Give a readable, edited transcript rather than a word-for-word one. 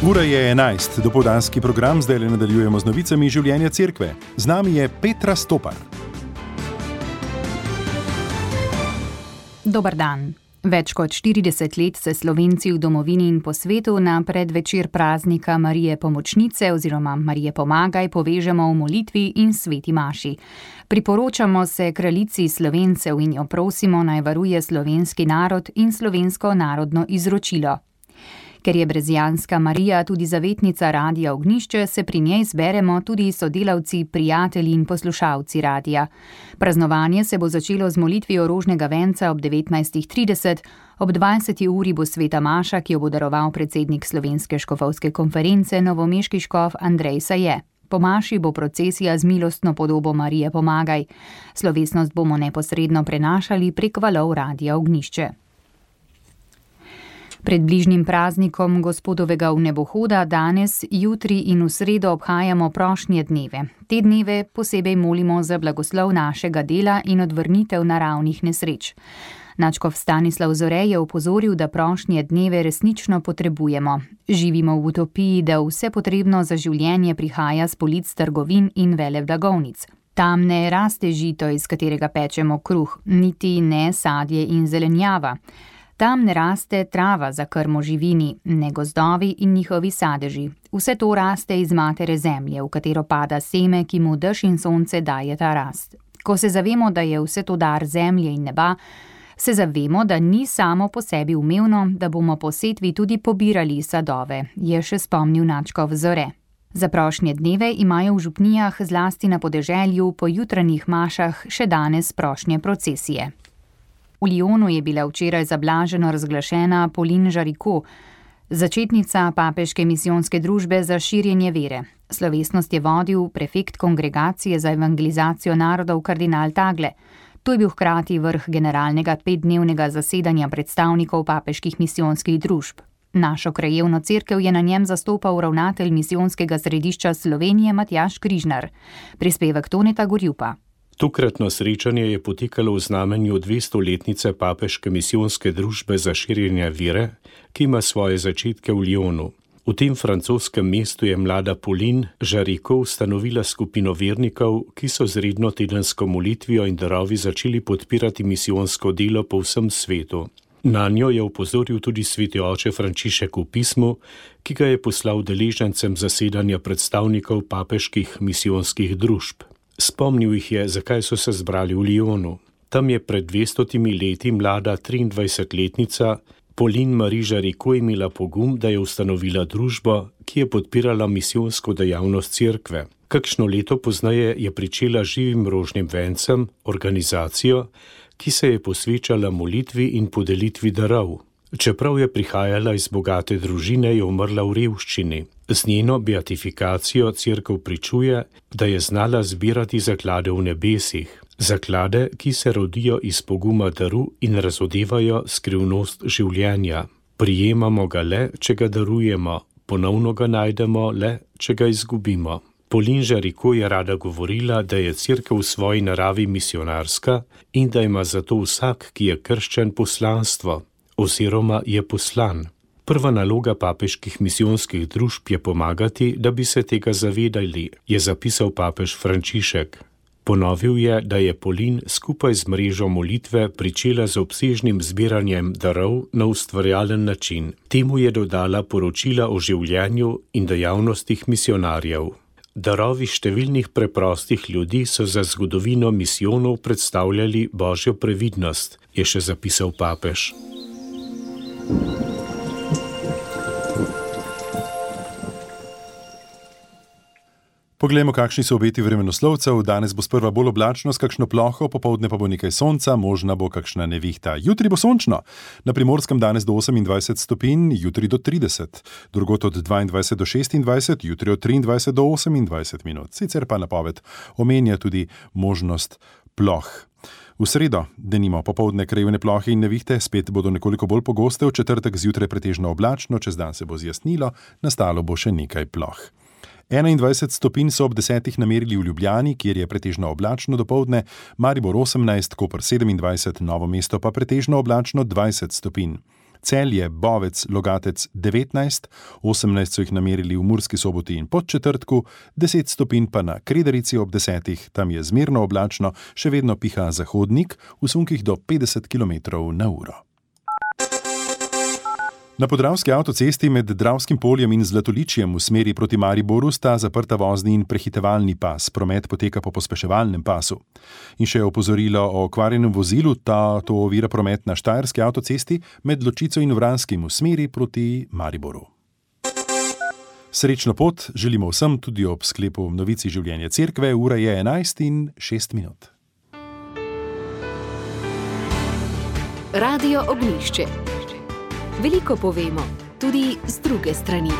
Ura je 11, dopoldanski program, zdaj le nadaljujemo z novicami življenja cerkve. Z nami je Petra Stopar. Dober dan. Več kot 40 let se Slovenci v domovini in po svetu na predvečer praznika Marije Pomočnice oziroma Marije Pomagaj povežemo v molitvi in sveti maši. Priporočamo se kraljici Slovencev in jo prosimo, naj varuje slovenski narod in slovensko narodno izročilo. Ker je brezjanska Marija tudi zavetnica Radia Ognjišče, se pri njej zberemo tudi sodelavci, prijatelji in poslušalci radia. Praznovanje se bo začelo z molitvijo rožnega venca ob 19:30, ob 20. uri bo sveta maša, ki jo bo daroval predsednik Slovenske škofovske konference, novomeški škof Andrej Saje. Po maši bo procesija z milostno podobo Marije Pomagaj. Slovesnost bomo neposredno prenašali prek valov Radia Ognjišče. Pred bližnjim praznikom Gospodovega vnebohoda danes, jutri in v sredo obhajamo prošnje dneve. Te dneve posebej molimo za blagoslov našega dela in odvrnitev naravnih nesreč. Nadškof Stanislav Zore je opozoril, da prošnje dneve resnično potrebujemo. Živimo v utopiji, da vse potrebno za življenje prihaja s polic trgovin in veleblagovnic. Tam ne raste žito, iz katerega pečemo kruh, niti ne sadje in zelenjava. Tam ne raste trava za krmo živini, ne gozdovi in njihovi sadeži. Vse to raste iz matere zemlje, v katero pada seme, ki mu dež in sonce dajeta rast. Ko se zavemo, da je vse to dar zemlje in neba, se zavemo, da ni samo po sebi umevno, da bomo po setvi tudi pobirali sadove, je še spomnil nadškof Zore. Za prošnje dneve imajo v župnijah, zlasti na podeželju, po jutranjih mašah še danes prošnje procesije. V Lyonu je bila včeraj zablaženo razglašena Pauline Jaricot, začetnica papeške misijonske družbe za širjenje vere. Slovesnost je vodil prefekt kongregacije za evangelizacijo narodov kardinal Tagle. To je bil hkrati vrh generalnega 5-dnevnega zasedanja predstavnikov papeških misijonskih družb. Našo krajevno cerkev je na njem zastopal ravnatelj misijonskega središča Slovenije Matjaž Križnar. Prispevek Toneta Gorjupa. Tokratno srečanje je potekalo v znamenju 200-letnice papeške misijonske družbe za širjenje vere, ki ima svoje začetke v Lyonu. V tem francoskem mestu je mlada Pauline Jaricot ustanovila skupino vernikov, ki so z redno tedensko molitvijo in darovi začeli podpirati misijonsko delo po vsem svetu. Nanjo je opozoril tudi sveti oče Frančišek v pismu, ki ga je poslal udeležencem zasedanja predstavnikov papeških misijonskih družb. Spomnil jih je, zakaj so se zbrali v Lyonu. Tam je pred 200 leti mlada 23-letnica Pauline Marie Jaricot imela pogum, da je ustanovila družbo, ki je podpirala misijonsko dejavnost cerkve. Kakšno leto pozneje je pričela živim rožnim vencem, organizacijo, ki se je posvečala molitvi in podelitvi darov. Čeprav je prihajala iz bogate družine, je umrla v revščini. Z njeno beatifikacijo cerkev pričuje, da je znala zbirati zaklade v nebesih. Zaklade, ki se rodijo iz poguma daru in razodevajo skrivnost življenja. Prijemamo ga le, če ga darujemo, ponovno ga najdemo le, če ga izgubimo. Pauline Jaricot je rada govorila, da je cerkev v svoji naravi misionarska in da ima zato vsak, ki je krščen, poslanstvo, oziroma je poslan. Prva naloga papeških misijonskih družb je pomagati, da bi se tega zavedali, je zapisal papež Frančišek. Ponovil je, da je Pauline skupaj z mrežo molitve pričela z obsežnim zbiranjem darov na ustvarjalen način. Temu je dodala poročila o življenju in dejavnostih misionarjev. Darovi številnih preprostih ljudi so za zgodovino misijonov predstavljali božjo previdnost, je še zapisal papež. Poglejmo, kakšni so obeti vremenoslovcev. Danes bo sprva bolj oblačno s kakšno ploho, popoldne pa bo nekaj sonca, možna bo kakšna nevihta. Jutri bo sončno. Na Primorskem danes do 28 stopinj, jutri do 30. Drugod od 22 do 26, jutri od 23 do 28 minut. Sicer pa napoved omenja tudi možnost ploh. V sredo, denimo popoldne krajevne plohe in nevihte, spet bodo nekoliko bolj pogoste, v četrtek zjutraj pretežno oblačno, čez dan se bo zjasnilo, nastalo bo še nekaj ploh. 21 stopinj so ob 10 namerili v Ljubljani, kjer je pretežno oblačno dopoldne, Maribor 18, Koper 27, Novo mesto pa pretežno oblačno 20 stopinj. Celje, Bovec, Logatec 19, 18 so jih namerili v Murski Soboti in Podčetrtku, 10 stopinj pa na Kredarici ob 10, tam je zmerno oblačno, še vedno piha zahodnik, v sunkih do 50 km/h. Na Podravski avtocesti med Dravskim poljem in Zlatoličjem v smeri proti Mariboru sta zaprta vozni in prehitevalni pas, promet poteka po pospeševalnem pasu. In še opozorilo o okvarjenem vozilu, to ovira promet na Štajerski avtocesti med Ločico in Vranskim v smeri proti Mariboru. Srečno pot želimo vsem tudi ob sklepu novici življenja cerkve, ura je 11:06. Radio Ognjišče. Veliko povemo, tudi z druge strani.